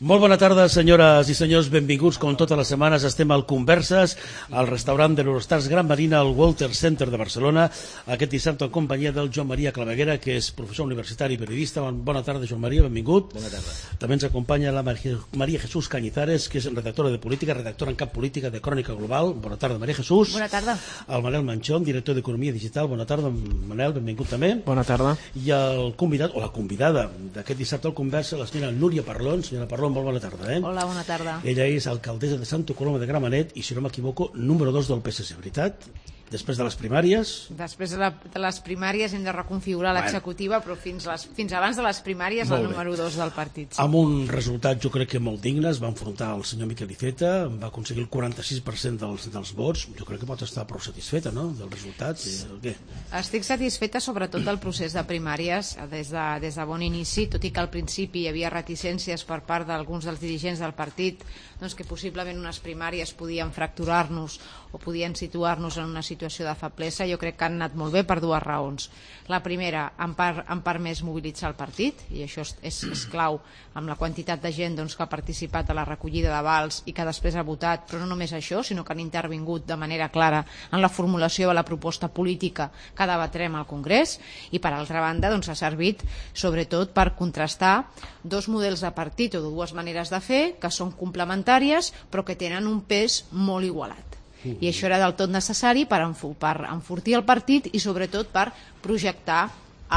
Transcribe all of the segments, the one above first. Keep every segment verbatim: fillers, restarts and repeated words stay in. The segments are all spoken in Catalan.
Molt bona tarda, senyores i senyors, benvinguts. Com totes les setmanes estem al Converses, al restaurant de l'Eurostars Gran Marina, al Walter Center de Barcelona, aquest dissabte en companyia del Joan Maria Claveguera, que és professor universitari i periodista. Bona tarda, Joan Maria, benvingut. Bona tarda. També ens acompanya la Maria Jesús Cañizares, que és redactora de política, redactora en cap política de Crònica Global. Bona tarda, Maria Jesús. Bona tarda. El Manel Manchón, director d'Economia Digital. Bona tarda, Manel, benvingut també. Bona tarda. I el convidat, o la convidada d'aquest dissabte al Conversa, la senyora Núria Parlon. Senyora Parlon, molt bona tarda, eh? Hola, bona tarda. Ella és alcaldessa de Santa Coloma de Gramenet i, si no m'equivoco, número dos del P S C, veritat? Després de les primàries... Després de, la, de les primàries hem de reconfigurar bueno. l'executiva, però fins, les, fins abans de les primàries el número dos del partit. Sí. Amb un resultat, jo crec que molt digne, es va enfrontar el senyor Miquel Iceta, va aconseguir el quaranta-sis per cent dels, dels vots. Jo crec que pot estar prou satisfeta, no?, del resultat. Què? Estic satisfeta sobretot del procés de primàries des de, des de bon inici, tot i que al principi hi havia reticències per part d'alguns dels dirigents del partit, doncs que possiblement unes primàries podien fracturar-nos o podien situar-nos en una situació de feblesa. Jo crec que han anat molt bé per dues raons. La primera, han, par, han permès mobilitzar el partit, i això és, és clau amb la quantitat de gent doncs, que ha participat a la recollida d'avals i que després ha votat, però no només això, sinó que han intervingut de manera clara en la formulació de la proposta política que debatrem al Congrés, i per altra banda doncs, ha servit sobretot per contrastar dos models de partit o dues maneres de fer que són complementàries però que tenen un pes molt igualat. I això era del tot necessari per, per enfortir el partit i sobretot per projectar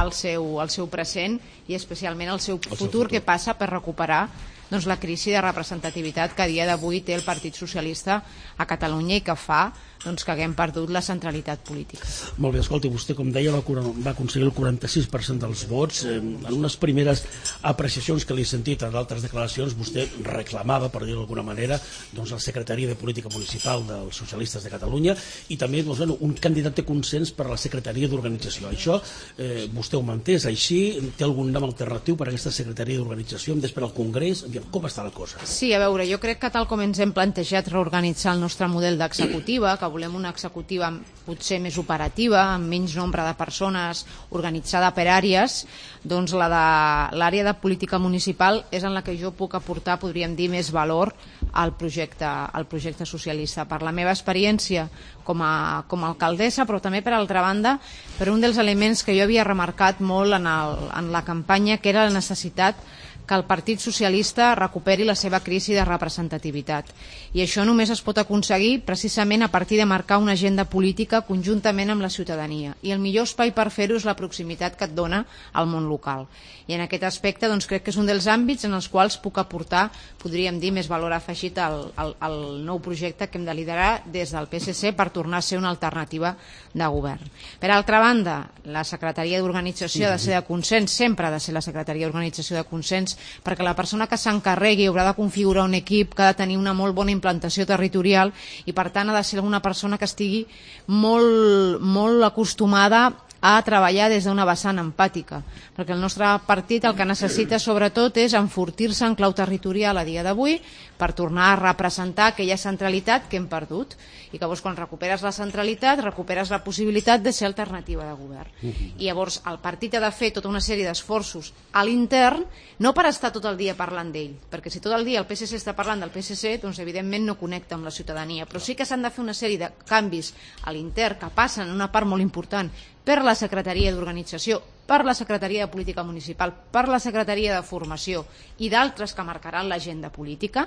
el seu, el seu present i especialment el seu futur, el seu futur. Que passa per recuperar doncs, la crisi de representativitat que a dia d'avui té el Partit Socialista a Catalunya i que fa doncs, que haguem perdut la centralitat política. Molt bé, escolti, vostè, com deia, va, va aconseguir el quaranta-sis per cent dels vots. Eh, en unes primeres apreciacions que li he sentit en d'altres declaracions, vostè reclamava, per dir-ho d'alguna manera, doncs, la Secretaria de Política Municipal dels Socialistes de Catalunya i també doncs, bueno, un candidat de consens per a la Secretaria d'Organització. Això eh, vostè ho manté, és així? Té algun nom alternatiu per a aquesta Secretaria d'Organització? Hem d'esperar al Congrés? Com està la cosa? Sí, a veure, jo crec que tal com ens hem plantejat reorganitzar el nostre model d'executiva, que volem una executiva potser més operativa, amb menys nombre de persones, organitzada per àrees, doncs la de l'àrea de política municipal és en la que jo puc aportar, podríem dir, més valor al projecte, al projecte socialista. Per la meva experiència com a, com a alcaldessa, però també per altra banda, per un dels elements que jo havia remarcat molt en, el, en la campanya, que era la necessitat que el Partit Socialista recuperi la seva crisi de representativitat. I això només es pot aconseguir precisament a partir de marcar una agenda política conjuntament amb la ciutadania. I el millor espai per fer-ho és la proximitat que et dona al món local. I en aquest aspecte doncs, crec que és un dels àmbits en els quals puc aportar, podríem dir, més valor afegit al, al, al nou projecte que hem de liderar des del P S C per tornar a ser una alternativa de govern. Per altra banda, la Secretaria d'Organització ha de ser de consens, sempre ha de ser la Secretaria d'Organització de consens, perquè la persona que s'encarregui haurà de configurar un equip que ha de tenir una molt bona implantació territorial i per tant ha de ser una persona que estigui molt, molt acostumada a treballar des d'una vessant empàtica, perquè el nostre partit el que necessita sobretot és enfortir-se en clau territorial a dia d'avui per tornar a representar aquella centralitat que hem perdut i que llavors quan recuperes la centralitat recuperes la possibilitat de ser alternativa de govern. I llavors el partit ha de fer tota una sèrie d'esforços a l'intern, no per estar tot el dia parlant d'ell, perquè si tot el dia el P S C està parlant del P S C, doncs evidentment no connecta amb la ciutadania, però sí que s'han de fer una sèrie de canvis a l'intern que passen en una part molt important per la Secretaria d'Organització, per la Secretaria de Política Municipal, per la Secretaria de Formació i d'altres que marcaran l'agenda política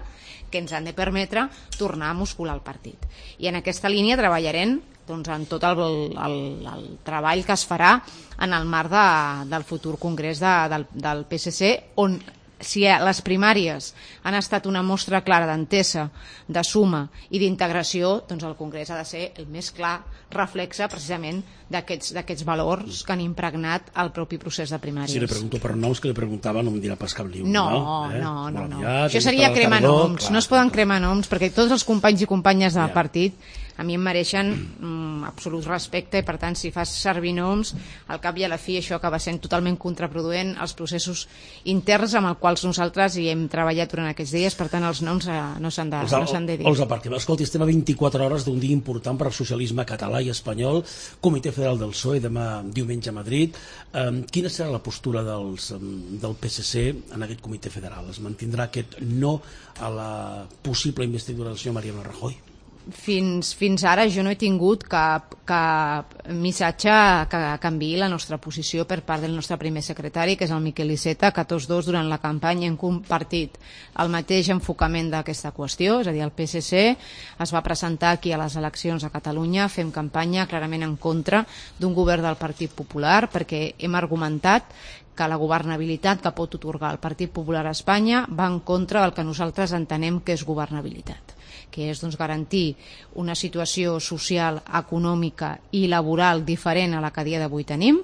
que ens han de permetre tornar a muscular el partit. I en aquesta línia treballarem doncs, en tot el, el, el treball que es farà en el marc de, del futur congrés de, del, del P S C, on si les primàries han estat una mostra clara d'entesa, de suma i d'integració, doncs el Congrés ha de ser el més clar reflexe precisament d'aquests valors que han impregnat el propi procés de primàries. Si li pregunto per noms que li preguntava no em dirà pas cap liu. No, no, eh? no, no, no. Aviat, això seria cremar tardor, noms, clar, no es poden cremar noms perquè tots els companys i companyes del ja. partit a mi em mereixen mm, absolut respecte, i per tant si fas servir noms, al cap i a la fi això acaba sent totalment contraproduent als processos interns amb els quals nosaltres hi hem treballat durant aquests dies. Per tant els noms eh, no s'han de, no s'han de dir. Els aparquem. Escolti, estem a vint-i-quatre hores d'un dia important per al socialisme català i espanyol, Comitè Federal del P S O E demà diumenge a Madrid. Um, quina serà la postura dels, um, del P S C en aquest comitè federal? Es mantindrà aquest no a la possible investidura del senyor Mariano Rajoy? Fins, fins ara jo no he tingut cap, cap missatge que canviï la nostra posició per part del nostre primer secretari, que és el Miquel Iceta, que tots dos durant la campanya hem compartit el mateix enfocament d'aquesta qüestió, és a dir, el P S C es va presentar aquí a les eleccions a Catalunya, fem campanya clarament en contra d'un govern del Partit Popular, perquè hem argumentat que la governabilitat que pot otorgar el Partit Popular a Espanya va en contra del que nosaltres entenem que és governabilitat, que és doncs, garantir una situació social, econòmica i laboral diferent a la que a dia d'avui tenim,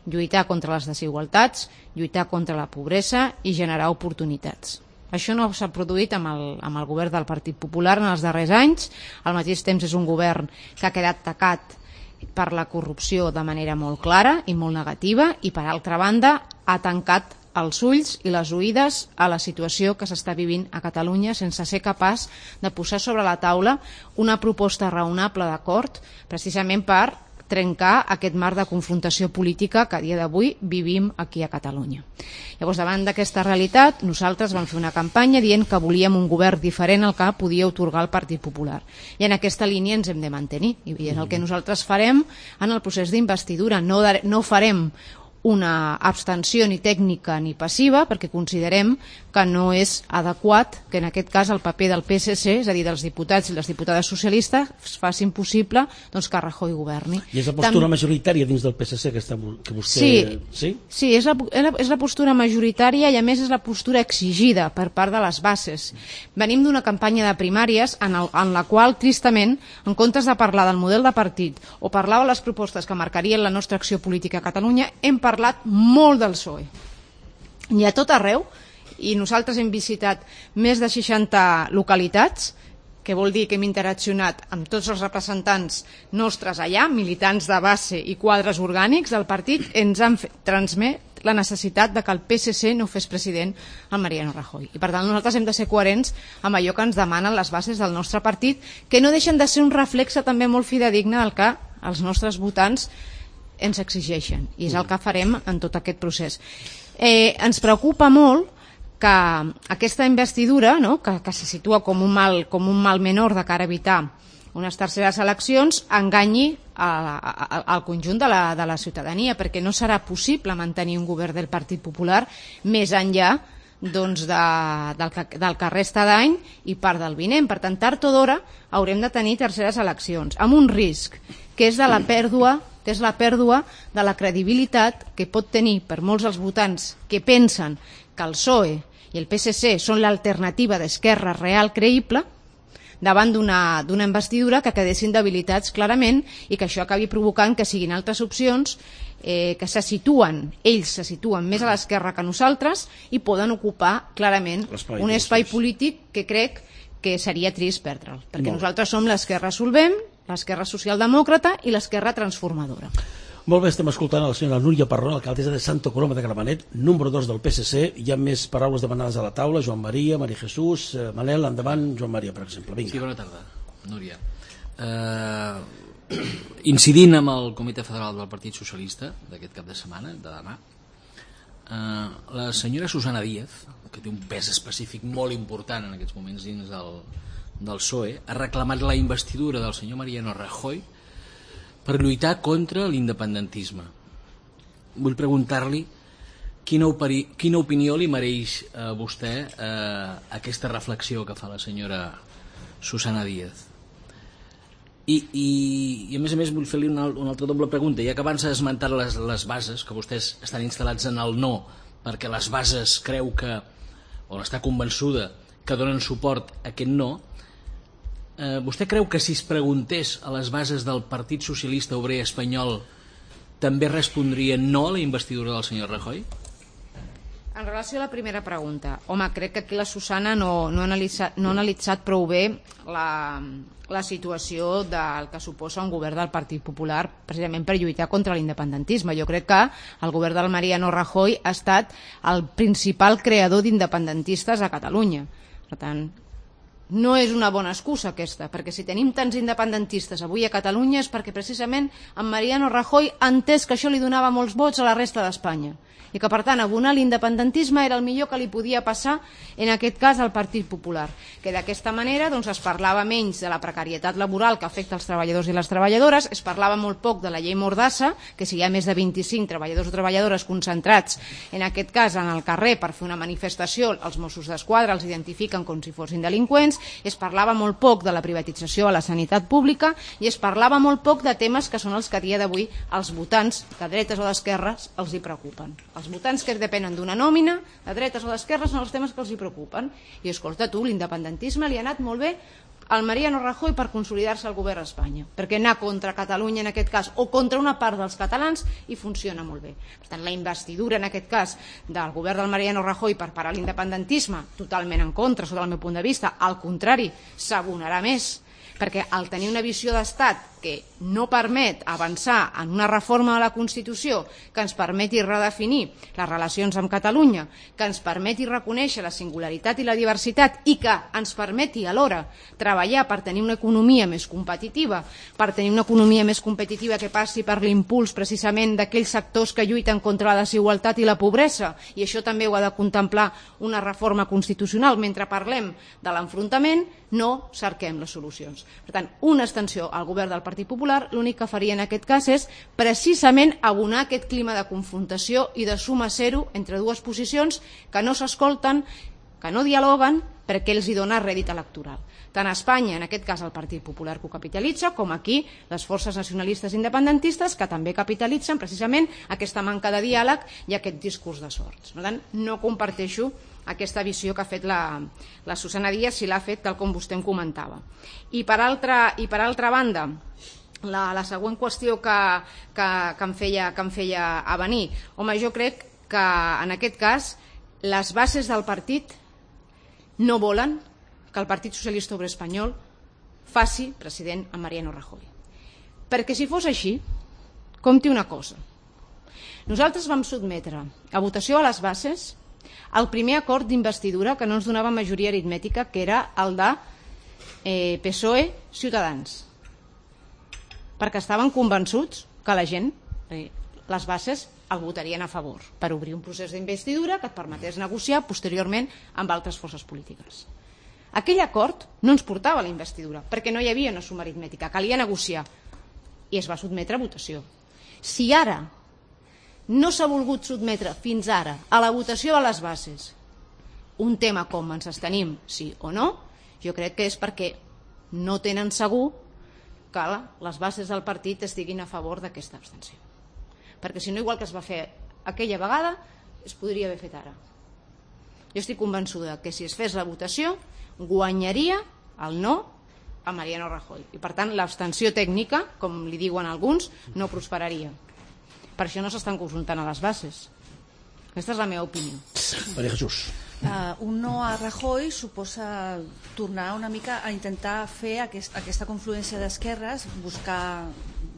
lluitar contra les desigualtats, lluitar contra la pobresa i generar oportunitats. Això no s'ha produït amb el, amb el govern del Partit Popular en els darrers anys. Al mateix temps és un govern que ha quedat tacat per la corrupció de manera molt clara i molt negativa, i per altra banda ha tancat els ulls i les oïdes a la situació que s'està vivint a Catalunya sense ser capaç de posar sobre la taula una proposta raonable d'acord, precisament per trencar aquest marc de confrontació política que a dia d'avui vivim aquí a Catalunya. Llavors, davant d'aquesta realitat, nosaltres vam fer una campanya dient que volíem un govern diferent al que podia otorgar el Partit Popular. I en aquesta línia ens hem de mantenir. I és el que nosaltres farem en el procés d'investidura. No, no farem una abstenció ni tècnica ni passiva, perquè considerem que no és adequat que en aquest cas el paper del P S C, és a dir, dels diputats i les diputades socialistes, facin possible doncs, que Rajoy governi. I és la postura Tam... majoritària dins del P S C que, està, que vostè... Sí, sí? sí és, la, és la postura majoritària, i a més és la postura exigida per part de les bases. Venim d'una campanya de primàries en, el, en la qual, tristament, en comptes de parlar del model de partit o parlar de les propostes que marcarien la nostra acció política a Catalunya, hem parlat molt del P S O E. I a tot arreu, i nosaltres hem visitat més de seixanta localitats, que vol dir que hem interaccionat amb tots els representants nostres allà, militants de base i quadres orgànics del partit, ens han fet transmet la necessitat de que el P S C no fes president el Mariano Rajoy. I per tant nosaltres hem de ser coherents amb allò que ens demanen les bases del nostre partit, que no deixen de ser un reflexe també molt fidedigne del que els nostres votants ens exigeixen, i és el que farem en tot aquest procés. Eh, ens preocupa molt que aquesta investidura, no, que, que se situa com un, mal, com un mal menor de cara a evitar unes terceres eleccions, enganyi a, a, al conjunt de la, de la ciutadania, perquè no serà possible mantenir un govern del Partit Popular més enllà doncs, de, del, que, del que resta d'any i part del vinent. Per tant, tard o d'hora haurem de tenir terceres eleccions, amb un risc, que és de la pèrdua que és la pèrdua de la credibilitat que pot tenir per molts dels votants que pensen que el P S O E i el P S C són l'alternativa d'esquerra real creïble davant d'una d'una investidura que quedessin debilitats clarament, i que això acabi provocant que siguin altres opcions eh, que se situen, ells se situen més a l'esquerra que nosaltres i poden ocupar clarament un espai polític que crec que seria trist perdre'l, perquè nosaltres som l'esquerra solvent, l'esquerra socialdemòcrata i l'esquerra transformadora. Molt bé, estem escoltant a la senyora Núria Parrón, alcaldessa de Santa Coloma de Gramenet, número dos del P S C. Hi ha més paraules demanades a la taula. Joan Maria, Maria Jesús, eh, Manel, endavant. Joan Maria, per exemple. Vinga. Sí, bona tarda, Núria. Uh, incidint amb el Comitè Federal del Partit Socialista d'aquest cap de setmana, de demà, uh, la senyora Susana Díaz, que té un pes específic molt important en aquests moments dins del, del P S O E, ha reclamat la investidura del senyor Mariano Rajoy per lluitar contra l'independentisme. Vull preguntar-li quina, operi, quina opinió li mereix a vostè eh, aquesta reflexió que fa la senyora Susana Díaz. I, i, i a més a més vull fer-li una, una altra doble pregunta, ja que abans ha esmentat les, les bases, que vostès estan instal·lats en el no, perquè les bases creu que, o està convençuda que donen suport a aquest no. Eh, vostè creu que si es preguntés a les bases del Partit Socialista Obrer Espanyol també respondrien no a la investidura del senyor Rajoy? En relació a la primera pregunta, home, crec que aquí la Susana no, no, ha, analitzat, no ha analitzat prou bé la, la situació del que suposa un govern del Partit Popular precisament per lluitar contra l'independentisme. Jo crec que el govern del Mariano Rajoy ha estat el principal creador d'independentistes a Catalunya. Per tant, no és una bona excusa aquesta, perquè si tenim tants independentistes avui a Catalunya és perquè precisament en Mariano Rajoy ha entès que això li donava molts vots a la resta d'Espanya i que per tant abonar l'independentisme era el millor que li podia passar en aquest cas al Partit Popular, que d'aquesta manera doncs, es parlava menys de la precarietat laboral que afecta els treballadors i les treballadores, es parlava molt poc de la llei Mordassa, que si hi ha més de vint-i-cinc treballadors o treballadores concentrats en aquest cas en el carrer per fer una manifestació, els Mossos d'Esquadra els identifiquen com si fossin delinqüents, es parlava molt poc de la privatització a la sanitat pública i es parlava molt poc de temes que són els que a dia d'avui els votants de dretes o d'esquerres els hi preocupen. Els votants que depenen d'una nòmina, de dretes o d'esquerres, són els temes que els hi preocupen. I escolta tu, l'independentisme li ha anat molt bé al Mariano Rajoy per consolidar-se al govern d'Espanya, perquè anar contra Catalunya en aquest cas o contra una part dels catalans i funciona molt bé. Per tant, la investidura en aquest cas del govern del Mariano Rajoy per parar l'independentisme, totalment en contra, sota el meu punt de vista, al contrari, s'abonarà més, perquè al tenir una visió d'estat que no permet avançar en una reforma de la Constitució que ens permeti redefinir les relacions amb Catalunya, que ens permeti reconèixer la singularitat i la diversitat i que ens permeti alhora treballar per tenir una economia més competitiva, per tenir una economia més competitiva que passi per l'impuls precisament d'aquells sectors que lluiten contra la desigualtat i la pobresa, i això també ho ha de contemplar una reforma constitucional. Mentre parlem de l'enfrontament, no cerquem les solucions. Per tant, una extensió al govern del Partit Popular l'únic que faria en aquest cas és precisament abonar aquest clima de confrontació i de suma zero entre dues posicions que no s'escolten, que no dialoguen, perquè els hi dona rèdit electoral. Tant a Espanya, en aquest cas el Partit Popular que ho capitalitza, com aquí les forces nacionalistes independentistes que també capitalitzen precisament aquesta manca de diàleg i aquest discurs de sorts. Per tant, no comparteixo aquesta visió que ha fet la, la Susana Díaz, si l'ha fet tal com vostè em comentava. I per altra, i per altra banda, la, la següent qüestió que, que, que, em feia, que em feia a venir, home, jo crec que en aquest cas les bases del partit no volen que el Partit Socialista Obrer Espanyol faci president a Mariano Rajoy. Perquè si fos així, compti una cosa. Nosaltres vam sotmetre a votació a les bases el primer acord d'investidura que no ens donava majoria aritmètica, que era el de eh, P S O E Ciutadans, perquè estaven convençuts que la gent, eh, les bases, el votarien a favor per obrir un procés d'investidura que et permetés negociar posteriorment amb altres forces polítiques. Aquell acord no ens portava a la investidura, perquè no hi havia una suma aritmètica, calia negociar, i es va sotmetre a votació. Si ara no s'ha volgut sotmetre fins ara a la votació de les bases un tema com ens estenim, sí o no, jo crec que és perquè no tenen segur que les bases del partit estiguin a favor d'aquesta abstenció. Perquè si no, igual que es va fer aquella vegada, es podria haver fet ara. Jo estic convençuda que si es fes la votació guanyaria el no a Mariano Rajoy i per tant l'abstenció tècnica, com li diuen alguns, no prosperaria. Per això no s'estan confrontant a les bases. Aquesta és la meva opinió. Maria Jesús. Uh, un no a Rajoy suposa tornar una mica a intentar fer aquest, aquesta confluència d'esquerres, buscar,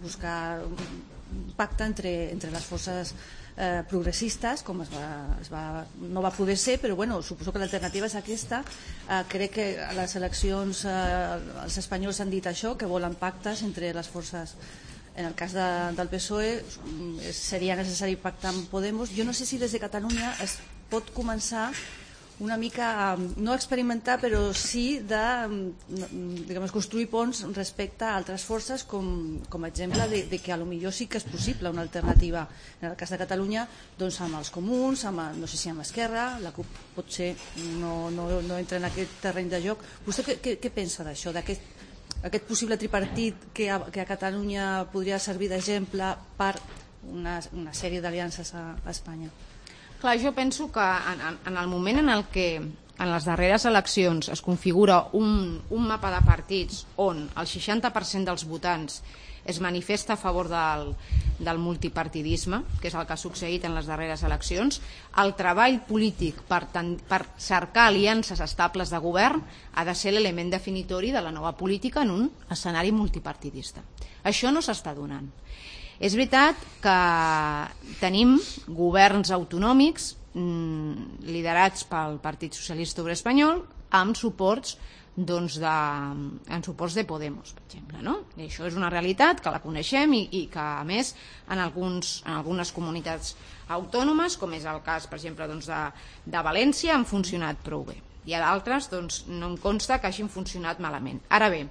buscar un pacte entre, entre les forces eh, progressistes, com es va, es va, no va poder ser, però bueno, suposo que l'alternativa és aquesta. Eh, crec que a les eleccions eh, els espanyols han dit això, que volen pactes entre les forces. En el cas de, del P S O E seria necessari pactar amb Podemos. Jo no sé si des de Catalunya es pot començar una mica a, no experimentar, però sí de diguem, construir ponts respecte a altres forces, com, com a exemple de, de que a lo millor sí que és possible una alternativa. En el cas de Catalunya, doncs amb els comuns, amb, no sé si amb Esquerra, la CUP potser no, no, no entra en aquest terreny de joc. Vostè què, què, què pensa d'això, d'aquest aquest possible tripartit que a, que a Catalunya podria servir d'exemple per una, una sèrie d'aliances a, a Espanya? Clar, jo penso que en, en el moment en el que en les darreres eleccions es configura un, un mapa de partits on el seixanta per cent dels votants es manifesta a favor del, del multipartidisme, que és el que ha succeït en les darreres eleccions, el treball polític per, ten, per cercar aliances estables de govern ha de ser l'element definitori de la nova política en un escenari multipartidista. Això no s'està donant. És veritat que tenim governs autonòmics mmm, liderats pel Partit Socialista Obrer Espanyol amb suports doncs de, en suports de Podemos, per exemple, no? I això és una realitat que la coneixem i, i que a més en, alguns, en algunes comunitats autònomes, com és el cas per exemple doncs de, de València, han funcionat prou bé, i a d'altres doncs, no em consta que hagin funcionat malament. Ara bé,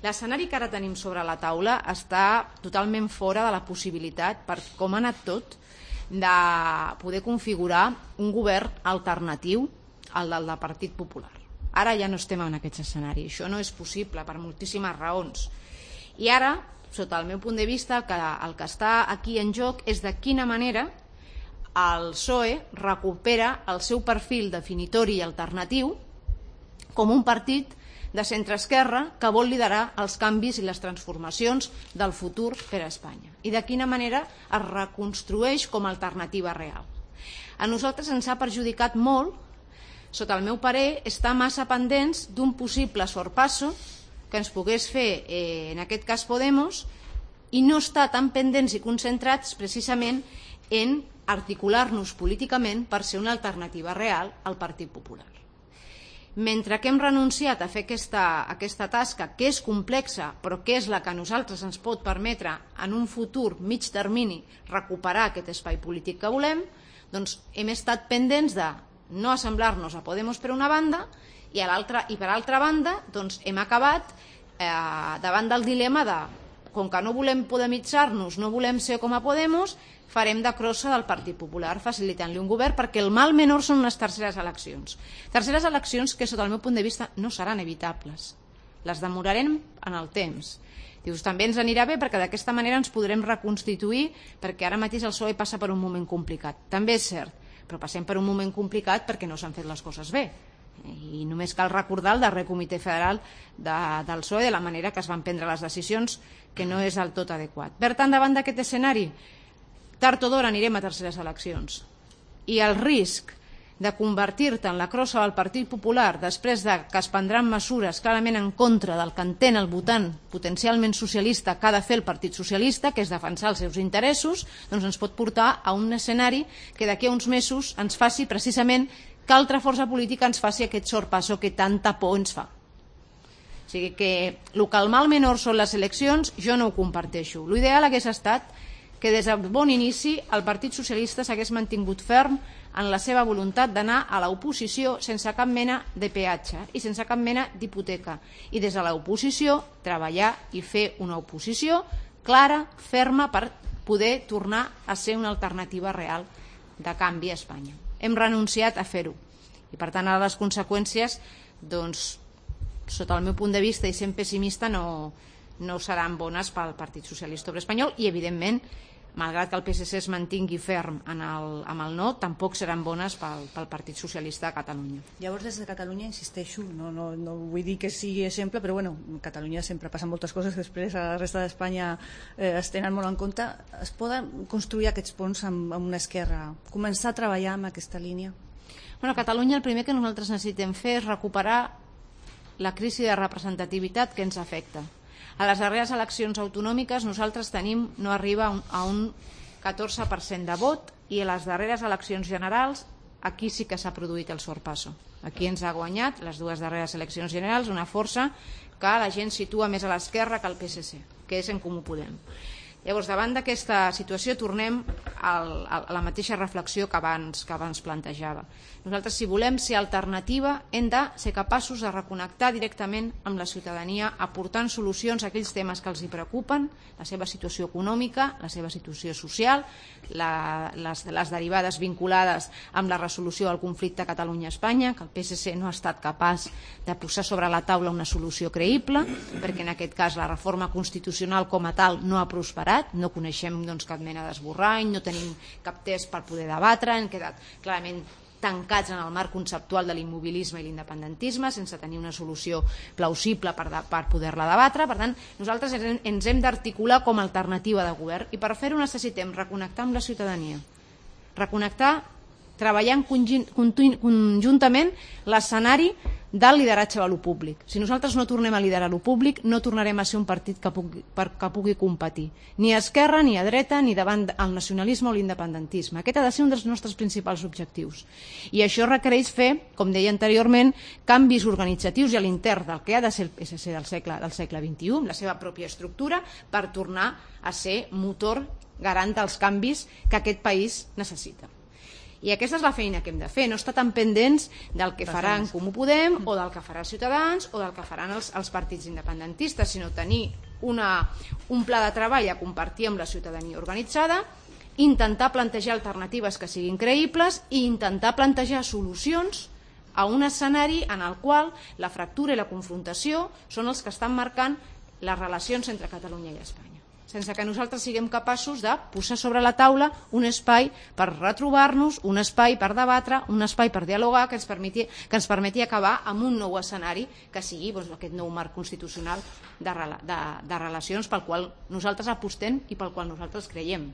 l'escenari que ara tenim sobre la taula està totalment fora de la possibilitat, per com ha anat tot, de poder configurar un govern alternatiu al del Partit Popular. Ara ja no estem en aquest escenari, això no és possible per moltíssimes raons. I ara, sota el meu punt de vista, el que, el que està aquí en joc és de quina manera el P S O E recupera el seu perfil definitori i alternatiu com un partit de centre-esquerra que vol liderar els canvis i les transformacions del futur per a Espanya. I de quina manera es reconstrueix com a alternativa real. A nosaltres ens ha perjudicat molt, sota el meu parer, està massa pendents d'un possible sorpasso que ens pogués fer, eh, en aquest cas Podemos, i no està tan pendents i concentrats precisament en articular-nos políticament per ser una alternativa real al Partit Popular. Mentre que hem renunciat a fer aquesta, aquesta tasca, que és complexa, però que és la que a nosaltres ens pot permetre en un futur mig termini recuperar aquest espai polític que volem, doncs hem estat pendents de no assemblar-nos a Podemos per una banda i, a l'altra, i per altra banda doncs hem acabat eh, davant del dilema de, com que no volem podemitzar-nos, no volem ser com a Podemos, farem de crossa del Partit Popular facilitant-li un govern, perquè el mal menor són unes terceres eleccions. Terceres eleccions que sota el meu punt de vista no seran evitables, les demorarem en el temps. Dius, també ens anirà bé perquè d'aquesta manera ens podrem reconstituir, perquè ara mateix el P S O E passa per un moment complicat. També és cert, però passem per un moment complicat perquè no s'han fet les coses bé. I només cal recordar el darrer comitè federal de, del P S O E, de la manera que es van prendre les decisions, que no és del tot adequat. Per tant, davant d'aquest escenari, tard o d'hora anirem a terceres eleccions. I el risc de convertir-te en la crossa del Partit Popular després de que es prendran mesures clarament en contra del que entén el votant potencialment socialista que ha de fer el Partit Socialista, que és defensar els seus interessos, doncs ens pot portar a un escenari que d'aquí a uns mesos ens faci precisament que altra força política ens faci aquest sorpasso que tanta por ens fa. O sigui que el que el mal menor són les eleccions, jo no ho comparteixo. L'ideal hagués estat que des de bon inici el Partit Socialista s'hagués mantingut ferm en la seva voluntat d'anar a l'oposició sense cap mena de peatge i sense cap mena d'hipoteca. I des de l'oposició treballar i fer una oposició clara, ferma, per poder tornar a ser una alternativa real de canvi a Espanya. Hem renunciat a fer-ho. I per tant, ara les conseqüències, doncs, sota el meu punt de vista i sent pessimista, no, no seran bones pel Partit Socialista Obrer Espanyol i, evidentment, malgrat que el P S C es mantingui ferm en el, amb el no, tampoc seran bones pel, pel Partit Socialista de Catalunya. Llavors, des de Catalunya, insisteixo, no, no, no vull dir que sigui exemple, però bueno, a Catalunya sempre passen moltes coses que després a la resta d'Espanya eh, es tenen molt en compte. Es poden construir aquests ponts amb, amb una esquerra, començar a treballar amb aquesta línia? Bueno, a Catalunya el primer que nosaltres necessitem fer és recuperar la crisi de representativitat que ens afecta. A les darreres eleccions autonòmiques nosaltres tenim, no arriba a un catorze per cent de vot, i a les darreres eleccions generals aquí sí que s'ha produït el sorpasso. Aquí ens ha guanyat les dues darreres eleccions generals una força que la gent situa més a l'esquerra que al P S C, que és En Comú Podem. Llavors, davant d'aquesta situació tornem al, a la mateixa reflexió que abans, que abans plantejava. Nosaltres, si volem ser alternativa, hem de ser capaços de reconnectar directament amb la ciutadania, aportant solucions a aquells temes que els hi preocupen, la seva situació econòmica, la seva situació social, la, les, les derivades vinculades amb la resolució del conflicte Catalunya-Espanya, que el P S C no ha estat capaç de posar sobre la taula una solució creïble, perquè en aquest cas la reforma constitucional com a tal no ha prosperat, no coneixem doncs, cap mena d'esborrany, no tenim cap test per poder debatre, han quedat clarament tancats en el marc conceptual de l'immobilisme i l'independentisme, sense tenir una solució plausible per, de, per poder-la debatre. Per tant, nosaltres ens hem d'articular com a alternativa de govern, i per fer-ho necessitem reconnectar amb la ciutadania, reconnectar, treballant conjuntament l'escenari del lideratge de lo públic. Si nosaltres no tornem a liderar lo públic, no tornarem a ser un partit que pugui, que pugui competir, ni a esquerra, ni a dreta, ni davant el nacionalisme o l'independentisme. Aquest ha de ser un dels nostres principals objectius. I això requereix fer, com deia anteriorment, canvis organitzatius i a l'intern del que ha de ser el P S C del segle, del segle vint-i-u, amb la seva pròpia estructura, per tornar a ser motor garant dels canvis que aquest país necessita. I aquesta és la feina que hem de fer, no estar tan pendents del que farà en Comú Podem o del que farà Ciutadans o del que faran els, els partits independentistes, sinó tenir una, un pla de treball a compartir amb la ciutadania organitzada, intentar plantejar alternatives que siguin creïbles i intentar plantejar solucions a un escenari en el qual la fractura i la confrontació són els que estan marcant les relacions entre Catalunya i Espanya, sense que nosaltres siguem capaços de posar sobre la taula un espai per retrobar-nos, un espai per debatre, un espai per dialogar que ens permeti, que ens permeti acabar amb un nou escenari que sigui doncs, aquest nou marc constitucional de, de, de relacions pel qual nosaltres apostem i pel qual nosaltres creiem.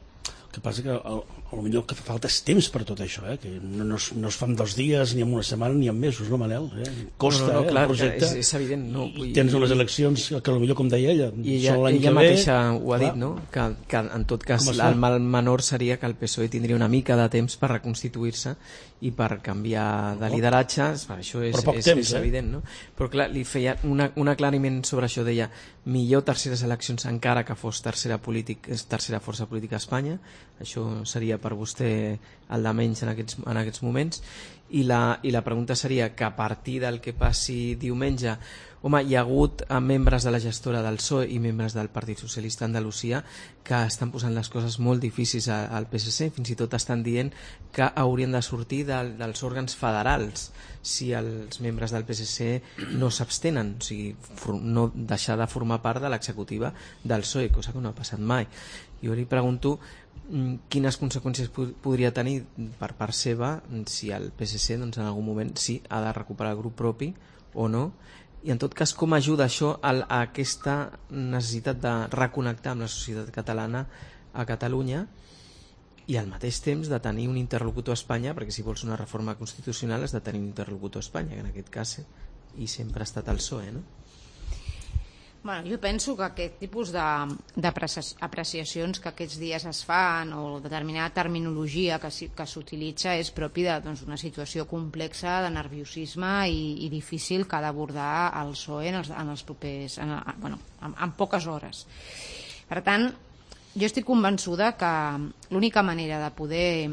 El que passa que potser el que fa falta és temps per tot això, eh? Que no, no, es, no es fa en dos dies, ni en una setmana, ni en mesos, no, Manel? Eh? Costa, no, no, no, clar, eh, el projecte. És, és evident. No? I tens unes eleccions que potser, com deia ella, I ella, són l'any ella que ve. mateixa ho ha dit, no? Que, que en tot cas el mal menor seria que el P S O E tindria una mica de temps per reconstituir-se i per canviar de lideratge. Això és, és, temps, és eh? evident, no? Però clar, li feia una, un aclariment sobre això, deia millor terceres eleccions encara que fos tercera, polític, tercera força política a Espanya. Això seria per vostè el de menys en aquests, en aquests moments. I la, i la pregunta seria que a partir del que passi diumenge, home, hi ha hagut membres de la gestora del P S O E i membres del Partit Socialista Andalusia que estan posant les coses molt difícils al P S C, fins i tot estan dient que haurien de sortir de, dels òrgans federals si els membres del P S C no s'abstenen, o sigui, no deixar de formar part de l'executiva del P S O E, cosa que no ha passat mai. Jo li pregunto quines conseqüències podria tenir per part seva si el P S C doncs, en algun moment sí ha de recuperar el grup propi o no, i en tot cas com ajuda això a, a aquesta necessitat de reconnectar amb la societat catalana a Catalunya i al mateix temps de tenir un interlocutor a Espanya, perquè si vols una reforma constitucional has de tenir un interlocutor a Espanya, que en aquest cas i sempre ha estat el P S O E, no? Bueno, jo penso que aquest tipus d'apreciacions que aquests dies es fan o determinada terminologia que, que s'utilitza és propi d'una doncs, situació complexa de nerviosisme i, i difícil que ha d'abordar el P S O E en els, en els propers, en, bueno, en, en poques hores. Per tant, jo estic convençuda que l'única manera de poder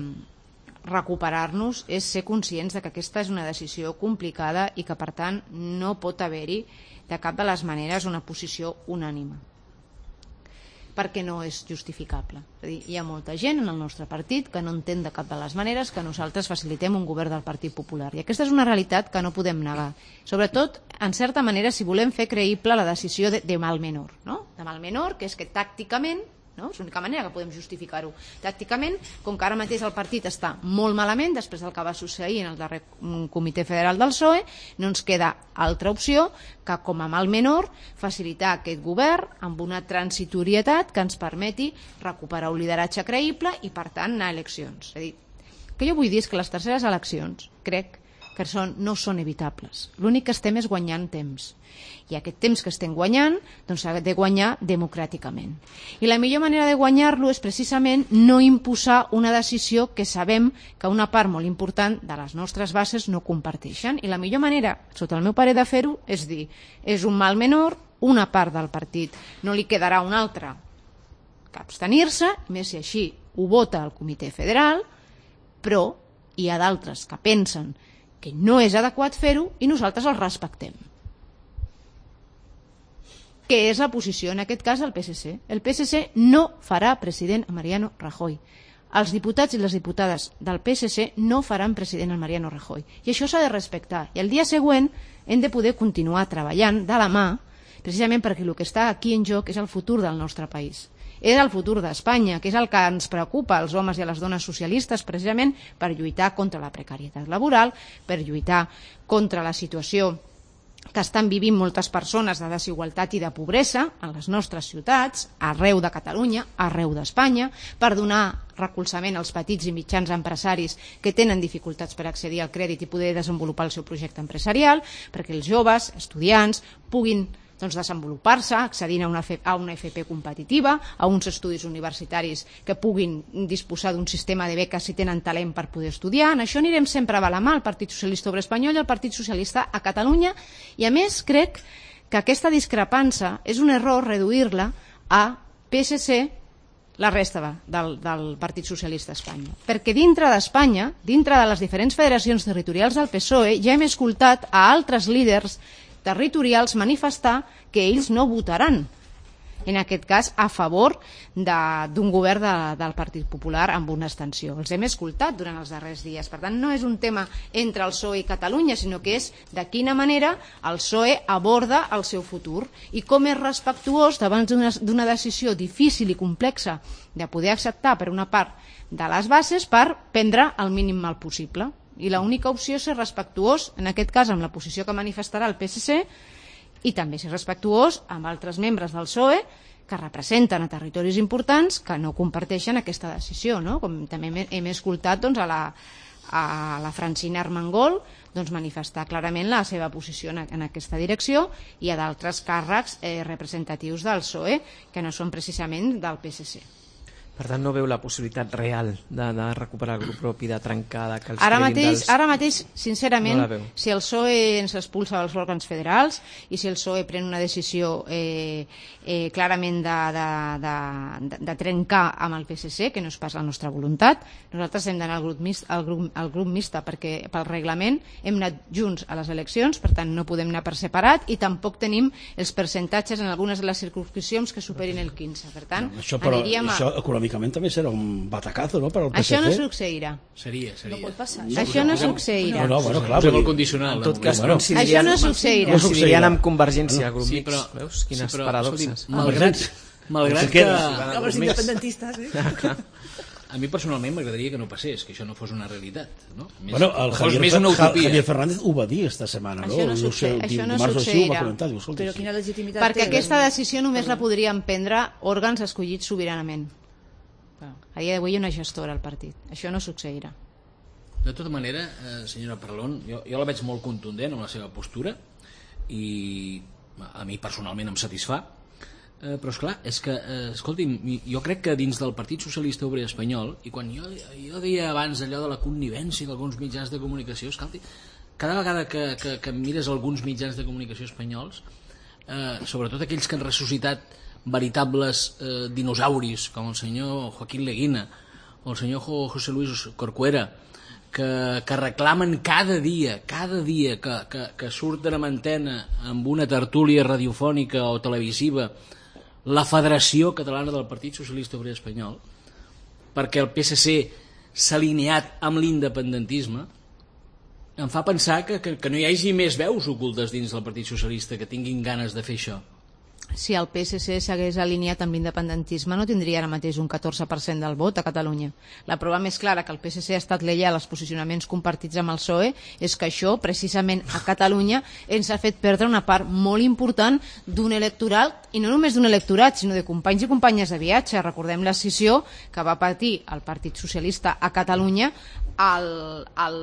recuperar-nos és ser conscients de que aquesta és una decisió complicada i que per tant no pot haver-hi de cap de les maneres una posició unànime, perquè no és justificable. És a dir, hi ha molta gent en el nostre partit que no entén de cap de les maneres que nosaltres facilitem un govern del Partit Popular, i aquesta és una realitat que no podem negar, sobretot en certa manera si volem fer creïble la decisió de, de mal menor, no? De mal menor, que és que tàcticament, no? És l'única manera que podem justificar-ho tàcticament, com que ara mateix el partit està molt malament després del que va succeir en el darrer comitè federal del P S O E, no ens queda altra opció que com a mal menor facilitar aquest govern amb una transitorietat que ens permeti recuperar un lideratge creïble i per tant anar a eleccions. És a dir, el que jo vull dir és que les terceres eleccions crec que són, no són evitables. L'únic que estem és guanyant temps. I aquest temps que estem guanyant doncs s'ha de guanyar democràticament. I la millor manera de guanyar-lo és precisament no imposar una decisió que sabem que una part molt important de les nostres bases no comparteixen. I la millor manera, sota el meu parer, de fer-ho és dir, és un mal menor, una part del partit no li quedarà una altra que abstenir-se, més si així ho vota el Comitè Federal, però hi ha d'altres que pensen que no és adequat fer-ho i nosaltres els respectem. Què és la posició, en aquest cas, del P S C? El P S C no farà president a Mariano Rajoy. Els diputats i les diputades del P S C no faran president a Mariano Rajoy. I això s'ha de respectar. I el dia següent hem de poder continuar treballant de la mà, precisament perquè el que està aquí en joc és el futur del nostre país. és el futur d'Espanya, que és el que ens preocupa als homes i a les dones socialistes, precisament per lluitar contra la precarietat laboral, per lluitar contra la situació que estan vivint moltes persones de desigualtat i de pobresa a les nostres ciutats, arreu de Catalunya, arreu d'Espanya, per donar recolzament als petits i mitjans empresaris que tenen dificultats per accedir al crèdit i poder desenvolupar el seu projecte empresarial, perquè els joves, estudiants, puguin doncs, desenvolupar-se, accedint a una, a una F P competitiva, a uns estudis universitaris que puguin disposar d'un sistema de beques si tenen talent per poder estudiar. En això anirem sempre a la mà, el Partit Socialista Obrer Espanyol i el Partit Socialista a Catalunya, i a més crec que aquesta discrepància és un error reduir-la a P S C, la resta del, del Partit Socialista a Espanya. Perquè dintre d'Espanya, dintre de les diferents federacions territorials del P S O E, ja hem escoltat a altres líders territorials manifestar que ells no votaran, en aquest cas a favor d'un govern de, del Partit Popular amb una abstenció. Els hem escoltat durant els darrers dies. Per tant, no és un tema entre el P S O E i Catalunya, sinó que és de quina manera el P S O E aborda el seu futur i com és respectuós davant d'una decisió difícil i complexa de poder acceptar per una part de les bases per prendre el mínim mal possible. I l'única opció és ser respectuós, en aquest cas amb la posició que manifestarà el P S C, i també ser respectuós amb altres membres del P S O E que representen a territoris importants que no comparteixen aquesta decisió, no? Com també hem escoltat doncs, a, la, a la Francina Armengol doncs, manifestar clarament la seva posició en, en aquesta direcció, i a d'altres càrrecs eh, representatius del P S O E que no són precisament del P S C. Per tant, no veu la possibilitat real de, de recuperar el grup propi, de trencar, de que els ara treguin mateix, dels... Ara mateix, sincerament, no si el P S O E ens expulsa dels òrgans federals i si el P S O E pren una decisió eh, eh, clarament de, de, de, de trencar amb el P S C, que no és pas la nostra voluntat, nosaltres hem d'anar al grup mixt, al grup, al grup mixta, perquè pel reglament hem anat junts a les eleccions, per tant no podem anar per separat, i tampoc tenim els percentatges en algunes de les circunscripcions que superin el quinze. Per tant, no, això, però, aniríem a... això econòmicament també serà un batacazo, no?, per al P S C. Això no succeirà. Seria, seria. No pot passar. No, això no succeirà. No, no, bueno, clar. Posem el condicional. En tot cas, bueno, això no succeirà. No coincidirien amb Convergència, el grup Sí, mixt. però, Veus? Quines sí, però, paradoxes. escolti, malgrat, malgrat que... Com els independentistes, eh? A mi personalment m'agradaria que no passés, que això no fos una realitat, no? Més, Bueno, el fos Javier, més una utopia. Javier Fernández ho va dir esta setmana, no? Això no succe- sé, això no dimarts o així ho succeirà. va comentar, diu, escolta, Però sí. quina legitimitat Perquè té? aquesta decisió només la podrien prendre òrgans escollits sobiranament. A dia d'avui hi ha una gestora al partit. Això no succeirà. De tota manera, eh, senyora Parlon, jo, jo la veig molt contundent amb la seva postura i a mi personalment em satisfà, eh, però esclar, és que, eh, escolti'm, jo crec que dins del Partit Socialista Obrer Espanyol, i quan jo, jo deia abans allò de la connivència d'alguns mitjans de comunicació, escolti, cada vegada que, que, que mires alguns mitjans de comunicació espanyols, eh, sobretot aquells que han ressuscitat veritables eh, dinosauris com el senyor Joaquín Leguina o el senyor José Luis Corcuera, que, que reclamen cada dia cada dia que, que, que surten en antena amb una tertúlia radiofònica o televisiva la Federació Catalana del Partit Socialista Obrer Espanyol, perquè el P S C s'ha alineat amb l'independentisme, em fa pensar que, que, que no hi hagi més veus ocultes dins del Partit Socialista que tinguin ganes de fer això. Si el P S C s'hagués alineat amb l'independentisme no tindria ara mateix un catorze per cent del vot a Catalunya. La prova més clara que el P S C ha estat lleial als posicionaments compartits amb el P S O E és que això, precisament a Catalunya, ens ha fet perdre una part molt important d'un electorat, i no només d'un electorat, sinó de companys i companyes de viatge. Recordem l'escissió que va patir el Partit Socialista a Catalunya al, al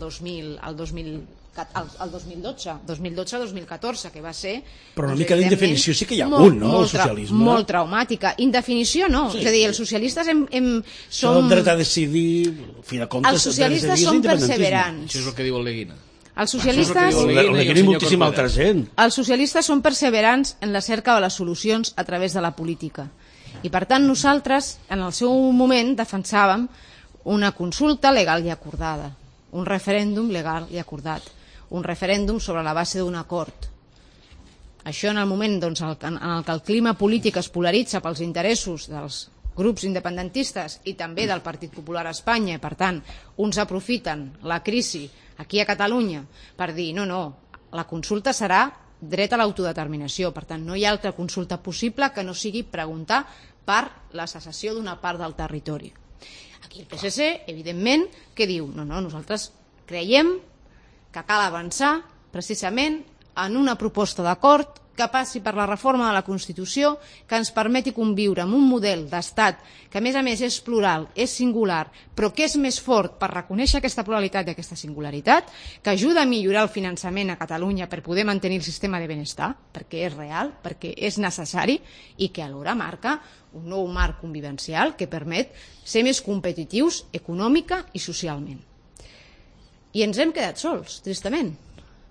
dos mil... Al dos mil el dos mil dotze, dos mil dotze dos mil catorze, que va ser... Però una mica d'indefinició sí que hi ha molt, hagut, no?, molt, el socialisme. Molt traumàtica. Indefinició no. Sí. És a dir, els socialistes hem, hem, Som... som... el dret a decidir, a fi de comptes... Els socialistes són perseverants. Això és el que diu el Leguina. Els socialistes... Això és el que diu El Leguina i moltíssima altra gent. Els socialistes són perseverants en la cerca de les solucions a través de la política. I per tant nosaltres, en el seu moment, defensàvem una consulta legal i acordada, un referèndum legal i acordat, un referèndum sobre la base d'un acord. Això en el moment doncs, en el que el clima polític es polaritza pels interessos dels grups independentistes i també del Partit Popular a Espanya, i per tant uns aprofiten la crisi aquí a Catalunya per dir no, no, la consulta serà dret a l'autodeterminació, per tant no hi ha altra consulta possible que no sigui preguntar per la secessió d'una part del territori. Aquí el P S C, evidentment, que diu, no, no, nosaltres creiem que cal avançar precisament en una proposta d'acord que passi per la reforma de la Constitució, que ens permeti conviure amb un model d'estat que a més a més és plural, és singular, però que és més fort per reconèixer aquesta pluralitat i aquesta singularitat, que ajuda a millorar el finançament a Catalunya per poder mantenir el sistema de benestar, perquè és real, perquè és necessari, i que alhora marca un nou marc convivencial que permet ser més competitius econòmica i socialment. I ens hem quedat sols, tristament,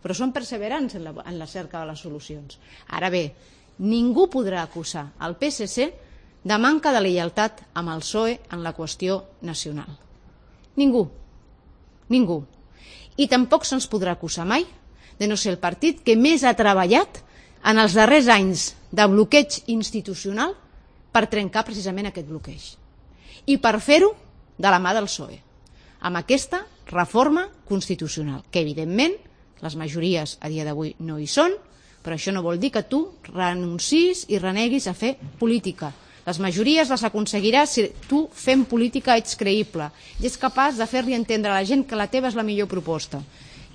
però som perseverants en la, en la cerca de les solucions. Ara bé, ningú podrà acusar el P S C de manca de lleialtat amb el P S O E en la qüestió nacional. Ningú. Ningú. I tampoc se'ns podrà acusar mai de no ser el partit que més ha treballat en els darrers anys de bloqueig institucional per trencar precisament aquest bloqueig. I per fer-ho de la mà del P S O E, amb aquesta reforma constitucional, que evidentment les majories a dia d'avui no hi són, però això no vol dir que tu renuncis i reneguis a fer política. Les majories les aconseguiràs si tu fent política ets creïble i ets capaç de fer-li entendre a la gent que la teva és la millor proposta.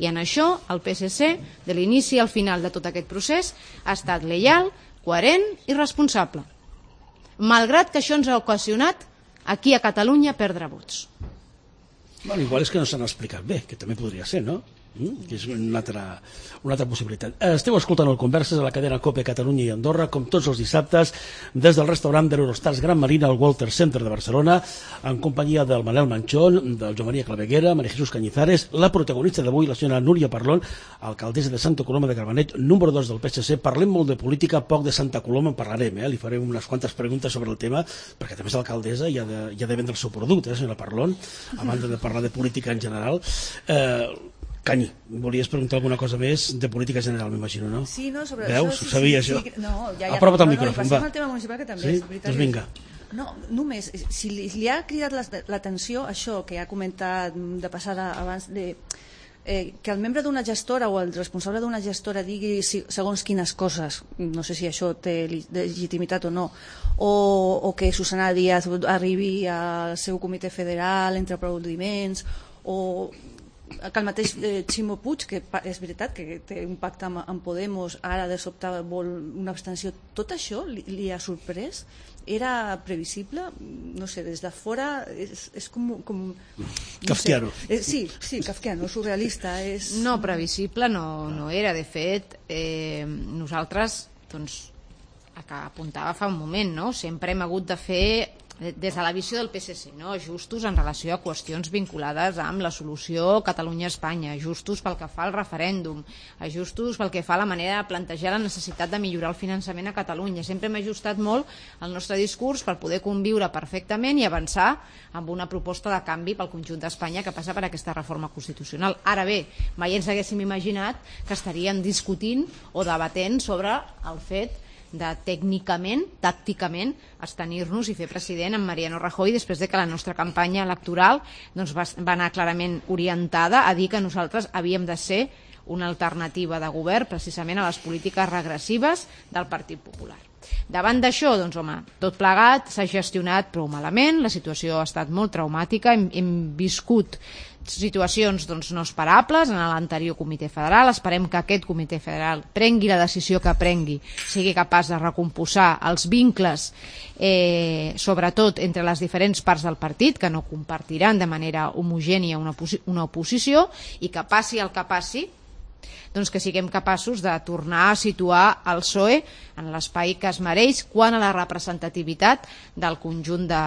I en això el P S C, de l'inici al final de tot aquest procés, ha estat lleial, coherent i responsable, malgrat que això ens ha ocasionat aquí a Catalunya perdre vots. Bueno, igual és que no s'han explicat bé, que també podria ser, no? Mm, que és una altra, una altra possibilitat. Esteu escoltant el Converses a la cadena COPE Catalunya i Andorra, com tots els dissabtes, des del restaurant de l'Eurostars Gran Marina al Walter Center de Barcelona, en companyia del Manel Manchón, del Joan Maria Claveguera, María Jesús Cañizares, la protagonista d'avui, la senyora Núria Parlon, alcaldessa de Santa Coloma de Gramenet, número dos del P S C. Parlem molt de política, poc de Santa Coloma en parlarem, eh? Li farem unes quantes preguntes sobre el tema, perquè també és alcaldessa i ha de, i ha de vendre el seu producte, eh, senyora Parlon, a banda de parlar de política en general. Eh, Canyi, volies preguntar alguna cosa més de política general, m'imagino, no? Sí, no, sobre Veus? això... Sí, ho sabia, sí, això. Sí, no, ja, ja, Apropa't al no, micròfon, no, va. el tema municipal, que també Sí? és veritat. Doncs vinga. No, només, si li, li ha cridat l'atenció això que ha comentat de passada abans de... Eh, que el membre d'una gestora o el responsable d'una gestora digui si, segons quines coses, no sé si això té legitimitat o no, o, o que Susana Díaz arribi al seu comitè federal entre aplaudiments, o que el mateix eh, Ximo Puig, que és veritat que té un pacte amb, amb Podemos, ara de sobte vol una abstenció, tot això li, li ha sorprès? Era previsible? No sé, des de fora és, és com... com no kafkiano. Sé. Eh, sí, sí, kafkiano, surrealista. És... No, previsible no, no era. De fet, eh, nosaltres, doncs, que apuntava fa un moment, no? Sempre hem hagut de fer, des de la visió del P S C, no? Ajustos en relació a qüestions vinculades amb la solució Catalunya-Espanya, ajustos pel que fa al referèndum, ajustos pel que fa a la manera de plantejar la necessitat de millorar el finançament a Catalunya. Sempre hem ajustat molt el nostre discurs per poder conviure perfectament i avançar amb una proposta de canvi pel conjunt d'Espanya que passa per aquesta reforma constitucional. Ara bé, mai ens haguéssim imaginat que estaríem discutint o debatent sobre el fet de tècnicament, tàcticament, abstenir-nos i fer president en Mariano Rajoy després de que la nostra campanya electoral doncs, va, va anar clarament orientada a dir que nosaltres havíem de ser una alternativa de govern precisament a les polítiques regressives del Partit Popular. Davant d'això, doncs, home, tot plegat s'ha gestionat prou malament, la situació ha estat molt traumàtica, hem, hem viscut situacions doncs, no esperables en l'anterior comitè federal. Esperem que aquest comitè federal prengui la decisió que prengui, sigui capaç de recomposar els vincles, eh, sobretot entre les diferents parts del partit, que no compartiran de manera homogènia una, una oposició, i que passi el que passi, doncs que siguem capaços de tornar a situar el P S O E en l'espai que es mereix quant a la representativitat del conjunt de,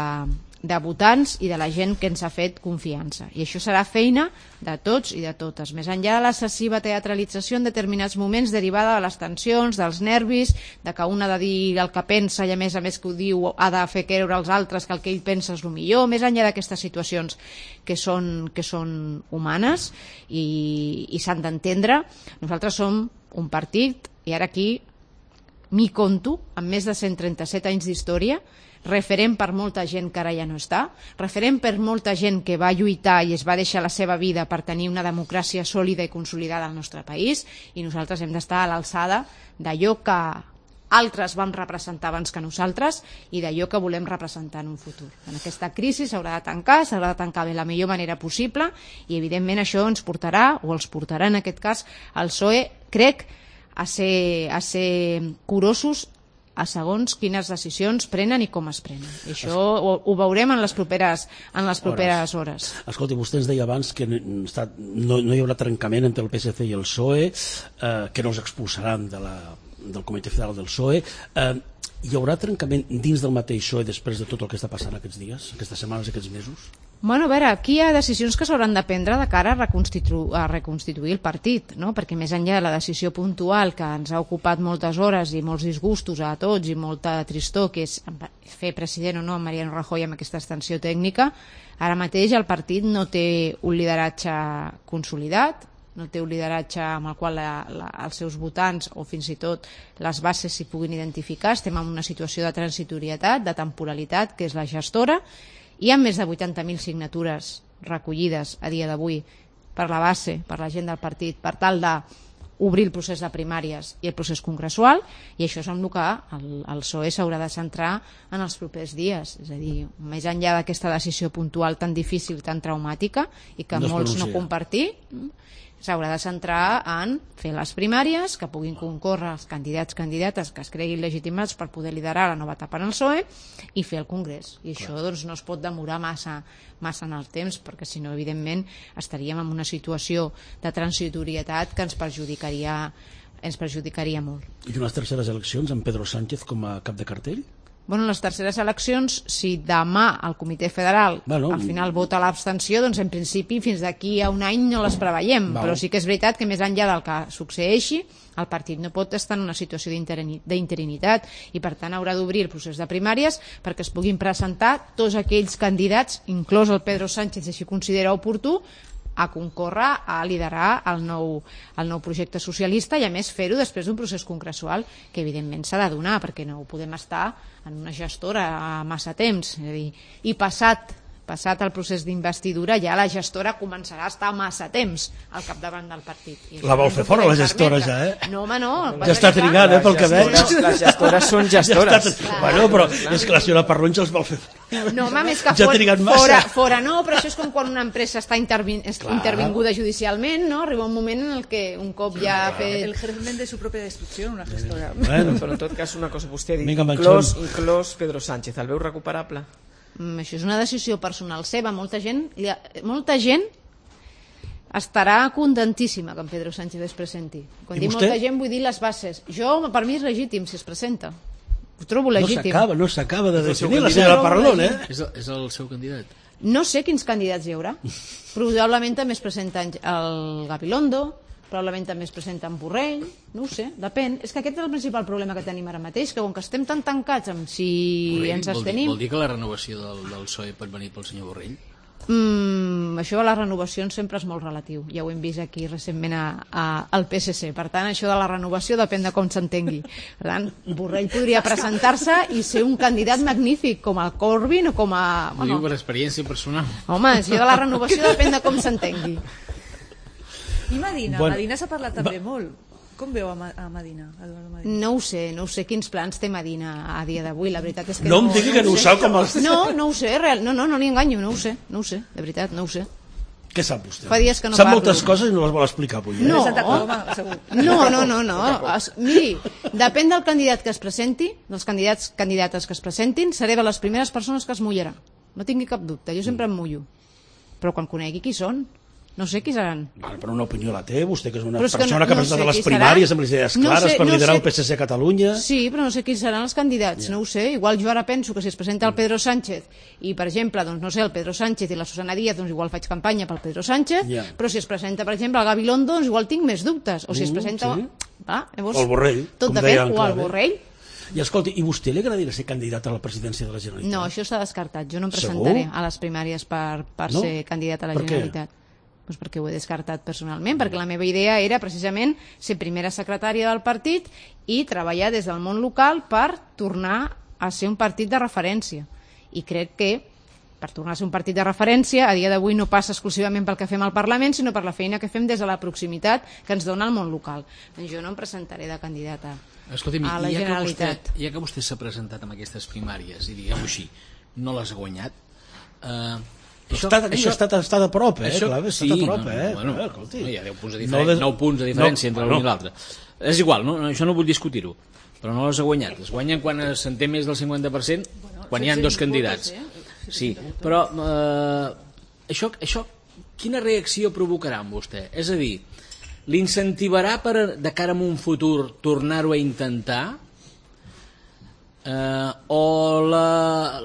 de votants i de la gent que ens ha fet confiança. I això serà feina de tots i de totes. Més enllà de l'excessiva teatralització en determinats moments derivada de les tensions, dels nervis, de que un ha de dir el que pensa i a més a més que ho diu ha de fer creure als altres que el que ell pensa és el millor, més enllà d'aquestes situacions que són, que són humanes i, i s'han d'entendre, nosaltres som un partit, i ara aquí m'hi conto, amb més de cent trenta-set anys d'història, referent per molta gent que ara ja no està, referent per molta gent que va lluitar i es va deixar la seva vida per tenir una democràcia sòlida i consolidada al nostre país, i nosaltres hem d'estar a l'alçada d'allò que altres vam representar abans que nosaltres i d'allò que volem representar en un futur. En aquesta crisi s'haurà de tancar, s'haurà de tancar de la millor manera possible i evidentment això ens portarà, o els portarà en aquest cas al P S O E, crec, a ser, a ser curosos a segons quines decisions prenen i com es prenen. I això ho, ho veurem en les properes, en les properes hores. Escolti, vostè ens deia abans que no, no hi haurà trencament entre el P S C i el P S O E, eh, que no els expulsaran de la, del Comitè Federal del P S O E. Eh, hi haurà trencament dins del mateix P S O E després de tot el que està passant aquests dies, aquestes setmanes, aquests mesos? Bueno, a veure, aquí hi ha decisions que s'hauran de prendre de cara a reconstituir, a reconstituir el partit, no? Perquè més enllà de la decisió puntual que ens ha ocupat moltes hores i molts disgustos a tots i molta tristor, que és fer president o no Mariano Rajoy amb aquesta extensió tècnica, ara mateix el partit no té un lideratge consolidat, no té un lideratge amb el qual la, la, els seus votants o fins i tot les bases s'hi puguin identificar. Estem en una situació de transitorietat, de temporalitat, que és la gestora. Hi ha més de vuitanta mil signatures recollides a dia d'avui per la base, per la gent del partit, per tal d'obrir el procés de primàries i el procés congressual, i això és amb el que el, el P S O E s'haurà de centrar en els propers dies. És a dir, més enllà d'aquesta decisió puntual tan difícil, tan traumàtica, i que no molts no compartir, s'haurà de centrar en fer les primàries, que puguin concórrer els candidats candidates que es creguin legitimats per poder liderar la nova etapa en el P S O E i fer el Congrés. I això doncs, no es pot demorar massa, massa en el temps, perquè si no, evidentment, estaríem en una situació de transitorietat que ens perjudicaria, ens perjudicaria molt. I unes terceres eleccions amb Pedro Sánchez com a cap de cartell? Bueno, en les terceres eleccions, si demà el Comitè Federal bueno, al final vota l'abstenció, doncs en principi fins d'aquí a un any no les preveiem, val. Però sí que és veritat que més enllà del que succeeixi, el partit no pot estar en una situació d'interinitat i per tant haurà d'obrir el procés de primàries perquè es puguin presentar tots aquells candidats, inclòs el Pedro Sánchez, si així considera oportú, a concórrer a liderar el nou, el nou projecte socialista i a més fer-ho després d'un procés congressual que evidentment s'ha de donar perquè no podem estar en una gestora massa temps, és a dir, i passat passat el procés d'investidura ja la gestora començarà a estar massa temps al capdavant del partit. La vol fer fora la gestora ja, eh? No, home, no. Ja està trigant, eh, pel que veig. Les gestores són gestores. Ja està... Bueno, però és que la senyora Parrons els vol fer fora. No, home, més que ja fora, fora, fora no, però això és com quan una empresa està intervin, intervinguda judicialment, no? Arriba un moment en el que un cop ja ha fet... El germen de su propia destrucció, una gestora. Bueno, però en tot cas una cosa, vostè ha dit, inclòs, inclòs Pedro Sánchez, el veu recuperable? Mm, això és una decisió personal seva. Molta gent, molta gent estarà contentíssima que en Pedro Sánchez es presenti. Quan dic molta gent vull dir les bases. Jo, per mi és legítim si es presenta. Ho trobo legítim. No s'acaba, no s'acaba de definir la senyora Parlon, eh? És el, és el seu candidat. No sé quins candidats hi haurà. Probablement també es presenta el Gabilondo, probablement també es presenta en Borrell, no ho sé, depèn. És que aquest és el principal problema que tenim ara mateix, que com que estem tan tancats amb si Borrell, ens abstenim... Vol dir, vol dir que la renovació del, del P S O E pot venir pel senyor Borrell? Mm, això de les renovacions sempre és molt relatiu. Ja ho hem vist aquí recentment a, a, al P S C. Per tant, això de la renovació depèn de com s'entengui. Per tant, Borrell podria presentar-se i ser un candidat magnífic, com el Corbyn o com a... Ho bueno, diu per experiència personal. Home, això de la renovació depèn de com s'entengui. I Medina? Bueno, Medina s'ha parlat també va... molt. Com veu a, Ma a Medina, Medina? No ho sé, no ho sé quins plans té Medina a dia d'avui, la veritat és que no... No em digui que no ho sap com els... No, no ho sé, real, no, no, no li enganyo, no ho sé, no ho sé, de veritat, no ho sé. Què sap vostè? Fa dies que no sap parlo. moltes coses i no les vol explicar avui. Eh? No, no, no, no, no. Es, miri, depèn del candidat que es presenti, dels candidats candidates que es presentin, seré de les primeres persones que es mullarà. No tingui cap dubte, jo sempre em mullo. Però quan conegui qui són, no sé qui seran. Vale, però una opinió la té, vostè que és una és que persona no, que ha no presentat sé les primàries amb les idees clares no sé, per liderar no sé... el P S C a Catalunya. Sí, però no sé qui seran els candidats, yeah. No ho sé. Igual jo ara penso que si es presenta el Pedro Sánchez i, per exemple, doncs, no sé, el Pedro Sánchez i la Susana Díaz, doncs igual faig campanya pel Pedro Sánchez, yeah. Però si es presenta, per exemple, el Gabilondo, doncs igual tinc més dubtes. O si es presenta... Mm, sí. Va, llavors, o el Borrell. Tot depèn, o el Borrell. I escolti, i vostè li agradaria ser candidat a la presidència de la Generalitat? No, això s'ha descartat. Jo no em presentaré Segur? a les primàries per, per no? ser candidat a la per Generalitat. Doncs perquè ho he descartat personalment, perquè la meva idea era precisament ser primera secretària del partit i treballar des del món local per tornar a ser un partit de referència. I crec que per tornar a ser un partit de referència, a dia d'avui no passa exclusivament pel que fem al Parlament, sinó per la feina que fem des de la proximitat que ens dona el món local. Doncs jo no em presentaré de candidata Escolti'm, a la ja Generalitat. Que vostè, ja que vostè s'ha presentat amb aquestes primàries i diguem-ho així, no les ha guanyat, eh, això, està, això, està, està de prop, eh? Això, Clar, està sí, de prop, no, eh? Bueno, eh? Escolti. No, hi ha deu punts de diferència, no de... nou punts de diferència no, entre l'un bueno. i l'altre. És igual, no? això no vull discutir-ho, però no les ha guanyat. Es guanyen quan se'n té més del cinquanta per cent, bueno, quan hi ha dos candidats. Sí, però eh, això, això quina reacció provocarà en vostè? És a dir, l'incentivarà per, de cara a un futur, tornar-ho a intentar? Eh, o la,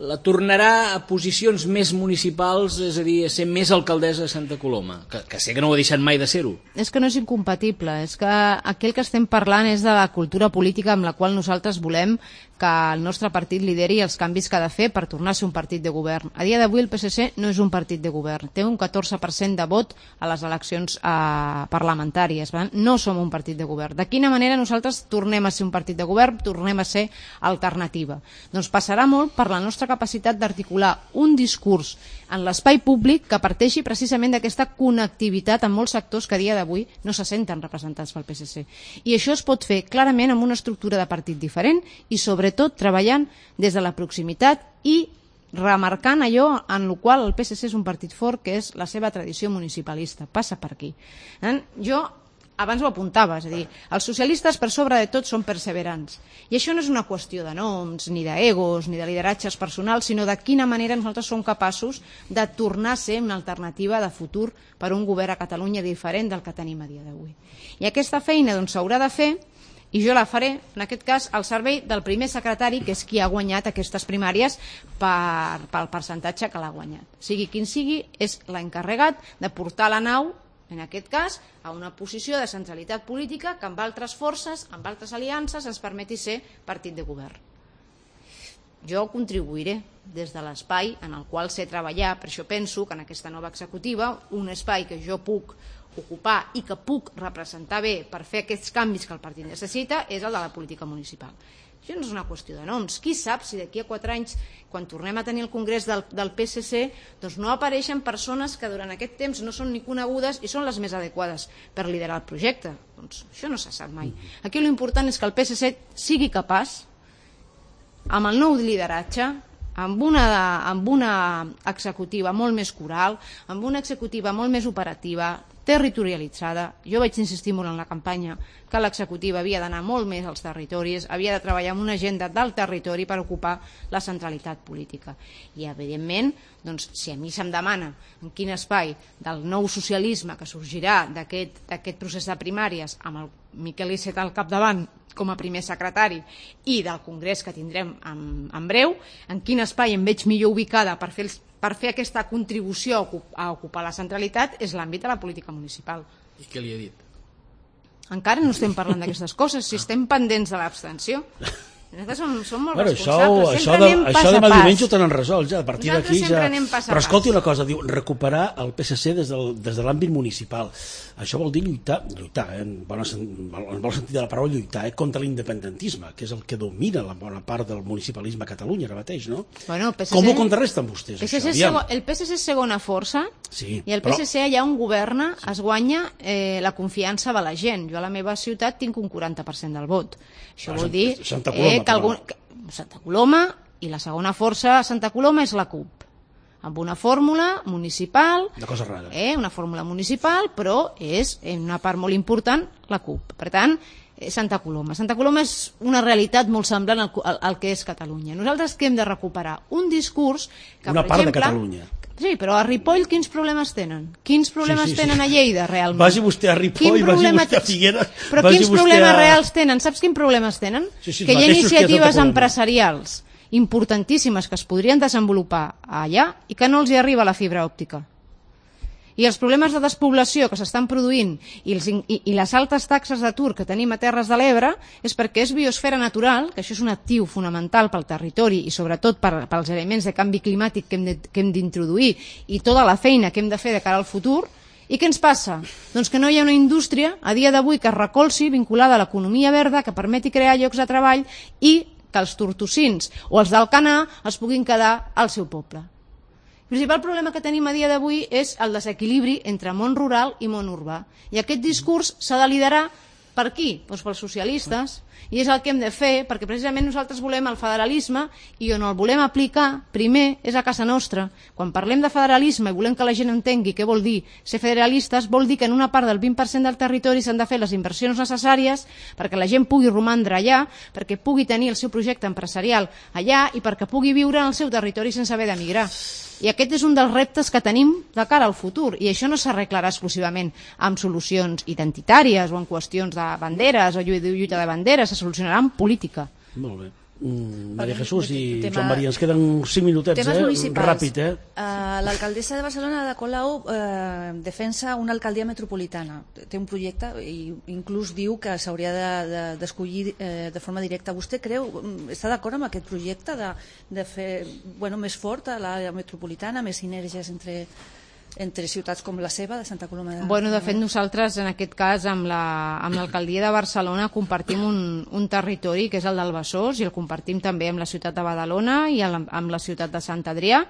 la tornarà a posicions més municipals, és a dir, a ser més alcaldessa de Santa Coloma, que, que sé que no ho ha deixat mai de ser-ho. És que no és incompatible, és que aquí el que estem parlant és de la cultura política amb la qual nosaltres volem que el nostre partit lideri els canvis que ha de fer per tornar a ser un partit de govern. A dia d'avui el P S C no és un partit de govern, té un catorze per cent de vot a les eleccions eh, parlamentàries, per tant, no som un partit de govern. De quina manera nosaltres tornem a ser un partit de govern, tornem a ser alternativa? Doncs passarà molt per la nostra capacitat d'articular un discurs en l'espai públic que parteixi precisament d'aquesta connectivitat amb molts sectors que a dia d'avui no se senten representats pel P S C. I això es pot fer clarament amb una estructura de partit diferent i sobretot treballant des de la proximitat i remarcant allò en el qual el P S C és un partit fort, que és la seva tradició municipalista. Passa per aquí. Jo abans ho apuntava, és a dir, els socialistes per sobre de tot són perseverants. I això no és una qüestió de noms, ni d'egos, ni de lideratges personals, sinó de quina manera nosaltres som capaços de tornar a ser una alternativa de futur per a un govern a Catalunya diferent del que tenim a dia d'avui. I aquesta feina doncs s'haurà de fer, i jo la faré, en aquest cas, al servei del primer secretari, que és qui ha guanyat aquestes primàries per, pel percentatge que l'ha guanyat. Sigui quin sigui, és l'encarregat de portar la nau, en aquest cas, a una posició de centralitat política que amb altres forces, amb altres aliances, ens permeti ser partit de govern. Jo contribuiré des de l'espai en el qual sé treballar, per això penso que en aquesta nova executiva, un espai que jo puc ocupar i que puc representar bé per fer aquests canvis que el partit necessita és el de la política municipal. Això no és una qüestió de noms. Qui sap si d'aquí a quatre anys, quan tornem a tenir el congrés del, del P S C, doncs no apareixen persones que durant aquest temps no són ni conegudes i són les més adequades per liderar el projecte. Doncs això no se sap mai. Aquí l'important és que el P S C sigui capaç, amb el nou lideratge, amb una, amb una executiva molt més coral, amb una executiva molt més operativa, territorialitzada. Jo vaig insistir molt en la campanya que l'executiva havia d'anar molt més als territoris, havia de treballar amb una agenda del territori per ocupar la centralitat política. I, evidentment, doncs, si a mi se'm demana en quin espai del nou socialisme que sorgirà d'aquest procés de primàries amb el Miquel Iceta al capdavant com a primer secretari i del congrés que tindrem en, en breu, en quin espai em veig millor ubicada per fer, per fer aquesta contribució a, ocup, a ocupar la centralitat és l'àmbit de la política municipal. I què li ha dit? Encara no estem parlant d'aquestes coses, si estem pendents de l'abstenció. Nosaltres som, som molt bueno, responsables, això, sempre això anem de, pas això a demà pas. diumenge ho tenen resolt ja, a partir d'aquí ja... Però escolti una cosa, diu, recuperar el P S C des, del, des de l'àmbit municipal. Això vol dir lluitar, lluitar eh, en, bona, en bon sentit de la paraula, lluitar eh, contra l'independentisme, que és el que domina la bona part del municipalisme a Catalunya ara mateix, no? Bueno, P S C, com ho contrarresten vostès, P S C això? Segon, el P S C és segona força, sí, i el P S C però... allà on governa es guanya eh, la confiança de la gent. Jo a la meva ciutat tinc un quaranta per cent del vot. Això vol dir Santa Coloma, eh, que algun... Santa Coloma, i la segona força a Santa Coloma és la CUP, amb una fórmula municipal, una cosa rara, eh, una fórmula municipal, però és en una part molt important la CUP. Per tant, eh, Santa Coloma. Santa Coloma és una realitat molt semblant al, al, al que és Catalunya. Nosaltres que hem de recuperar un discurs que, una per part exemple, de Catalunya. Sí, però a Ripoll quins problemes tenen? Quins problemes sí, sí, sí. tenen a Lleida, realment? Vagi vostè a Ripoll, vagi vostè a Figueres... Però quins problemes a... reals tenen? Saps quins problemes tenen? Sí, sí, que hi ha iniciatives que empresarials importantíssimes que es podrien desenvolupar allà i que no els hi arriba la fibra òptica. I els problemes de despoblació que s'estan produint i, els, i, i les altes taxes d'atur que tenim a Terres de l'Ebre és perquè és biosfera natural, que això és un actiu fonamental pel territori i sobretot per, pels elements de canvi climàtic que hem de, que hem d'introduir i tota la feina que hem de fer de cara al futur. I què ens passa? Doncs que no hi ha una indústria a dia d'avui que es recolzi vinculada a l'economia verda que permeti crear llocs de treball i que els tortosins o els d'Alcanar es puguin quedar al seu poble. El principal problema que tenim a dia d'avui és el desequilibri entre món rural i món urbà. I aquest discurs s'ha de liderar Per qui? Doncs pels socialistes. I és el que hem de fer, perquè precisament nosaltres volem el federalisme i on el volem aplicar, primer, és a casa nostra. Quan parlem de federalisme i volem que la gent entengui què vol dir ser federalistes, vol dir que en una part del vint per cent del territori s'han de fer les inversions necessàries perquè la gent pugui romandre allà, perquè pugui tenir el seu projecte empresarial allà i perquè pugui viure en el seu territori sense haver d'emigrar. I aquest és un dels reptes que tenim de cara al futur, i això no s'arreglarà exclusivament amb solucions identitàries o en qüestions de banderes o lluita de banderes, se solucionarà amb política. Molt bé. Mm, Maria Jesús i tema, Joan Maria, ens queden cinc minutets, eh? Ràpid, eh? Uh, L'alcaldessa de Barcelona, Ada Colau, uh, defensa una alcaldia metropolitana. Té un projecte i inclús diu que s'hauria d'escollir de, de, uh, de forma directa. Vostè creu, està d'acord amb aquest projecte de, de fer bueno, més fort a l'àrea metropolitana, més sinergies entre... entre ciutats com la seva, de Santa Coloma de... Bueno, de fet, nosaltres, en aquest cas, amb l'alcaldia la, de Barcelona, compartim un, un territori, que és el del Besòs, i el compartim també amb la ciutat de Badalona i amb la ciutat de Sant Adrià,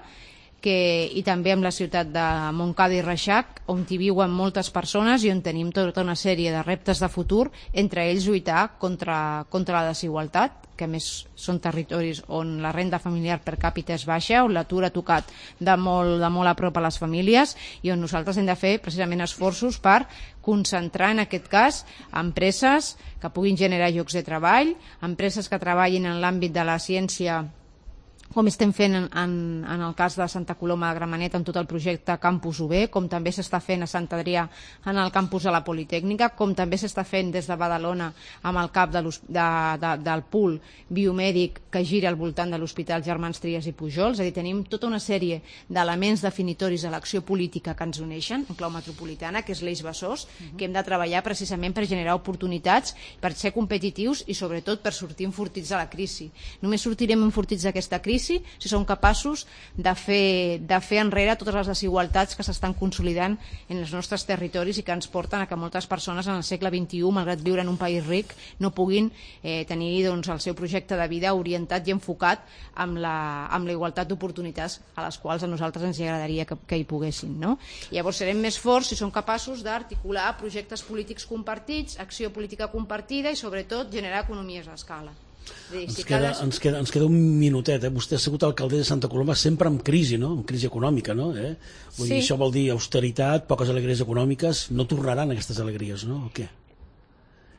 que, i també amb la ciutat de Montcada i Reixac, on hi viuen moltes persones i on tenim tota una sèrie de reptes de futur, entre ells lluitar contra, contra la desigualtat, que a més són territoris on la renda familiar per càpita és baixa, on l'atur ha tocat de molt, de molt a prop a les famílies i on nosaltres hem de fer precisament esforços per concentrar en aquest cas empreses que puguin generar llocs de treball, empreses que treballin en l'àmbit de la ciència, com estem fent en, en, en el cas de Santa Coloma de Gramenet amb tot el projecte Campus U B, com també s'està fent a Sant Adrià en el campus de la Politècnica, com també s'està fent des de Badalona amb el cap de de, de, del pool biomèdic que gira al voltant de l'Hospital Germans Trias i Pujol. És a dir, tenim tota una sèrie d'elements definitoris de l'acció política que ens uneixen en clau metropolitana, que és l'eix Besòs, uh-huh. que hem de treballar precisament per generar oportunitats, per ser competitius i sobretot per sortir enfortits de la crisi. Només sortirem enfortits d'aquesta crisi si som capaços de fer, de fer enrere totes les desigualtats que s'estan consolidant en els nostres territoris i que ens porten a que moltes persones en el segle vint-i-u, malgrat viure en un país ric, no puguin eh, tenir doncs, el seu projecte de vida orientat i enfocat amb la, amb la igualtat d'oportunitats a les quals a nosaltres ens agradaria que, que hi poguessin. No? Llavors serem més forts si som capaços d'articular projectes polítics compartits, acció política compartida i sobretot generar economies d'escala. Dir, ens, si queda, cada... ens, queda, ens queda un minutet, eh? Vostè ha sigut alcalde de Santa Coloma sempre amb crisi, no? Amb crisi econòmica, no? Eh? Vull sí. dir, això vol dir austeritat, poques alegries econòmiques, no tornaran aquestes alegries, no? O què?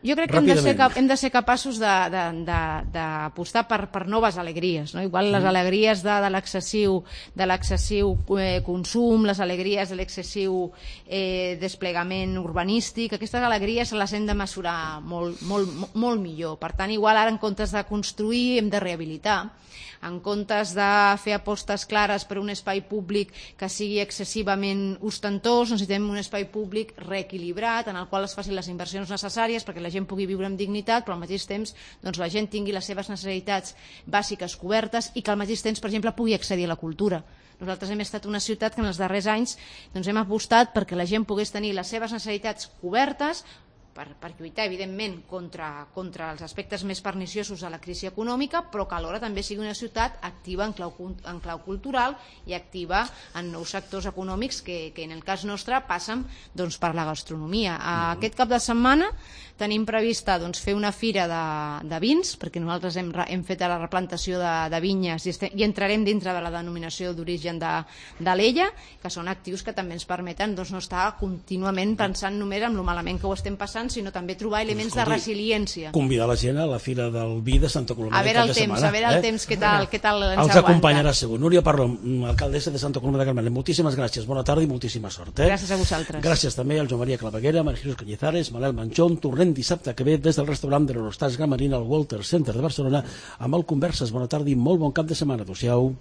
Jo crec que hem de, ser, hem de ser capaços d'apostar per, per noves alegries, no? Igual les alegries de, de l'excessiu de l'excessiu eh, consum, les alegries de l'excessiu eh, desplegament urbanístic, aquestes alegries les hem de mesurar molt, molt, molt millor. Per tant, igual ara en comptes de construir hem de rehabilitar, en comptes de fer apostes clares per un espai públic que sigui excessivament ostentós, necessitem un espai públic reequilibrat en el qual es facin les inversions necessàries perquè la gent pugui viure amb dignitat, però al mateix temps doncs, la gent tingui les seves necessitats bàsiques cobertes i que al mateix temps, per exemple, pugui accedir a la cultura. Nosaltres hem estat una ciutat que en els darrers anys doncs, hem apostat perquè la gent pogués tenir les seves necessitats cobertes per, per lluitar, evidentment, contra, contra els aspectes més perniciosos de la crisi econòmica, però que alhora també sigui una ciutat activa en clau, en clau cultural i activa en nous sectors econòmics que, que en el cas nostre passen doncs, per la gastronomia. A aquest cap de setmana tenim prevista doncs, fer una fira de, de vins, perquè nosaltres hem, hem fet la replantació de, de vinyes i, estem, i entrarem dintre de la denominació d'origen de, de l'Ella, que són actius que també ens permeten doncs, no estar contínuament pensant només en lo malament que ho estem passant, sinó també trobar elements doncs, escolti, de resiliència. Convidar la gent a la Fira del Vi de Santa Coloma a veure el temps, setmana, a veure el eh? temps què tal, què tal ens els aguanta. Acompanyarà segur. Núria Parlon, alcaldessa de Santa Coloma de Gramenet, moltíssimes gràcies, bona tarda i moltíssima sort. Eh? Gràcies a vosaltres. Gràcies també al Joan Maria Claveguera, Maria Jesús Cañizares, Manel Manchón. Tornem dissabte que ve des del restaurant de l'Eurostars Gramenet al Walter Center de Barcelona amb el Converses. Bona tarda i molt bon cap de setmana. Adéu-siau.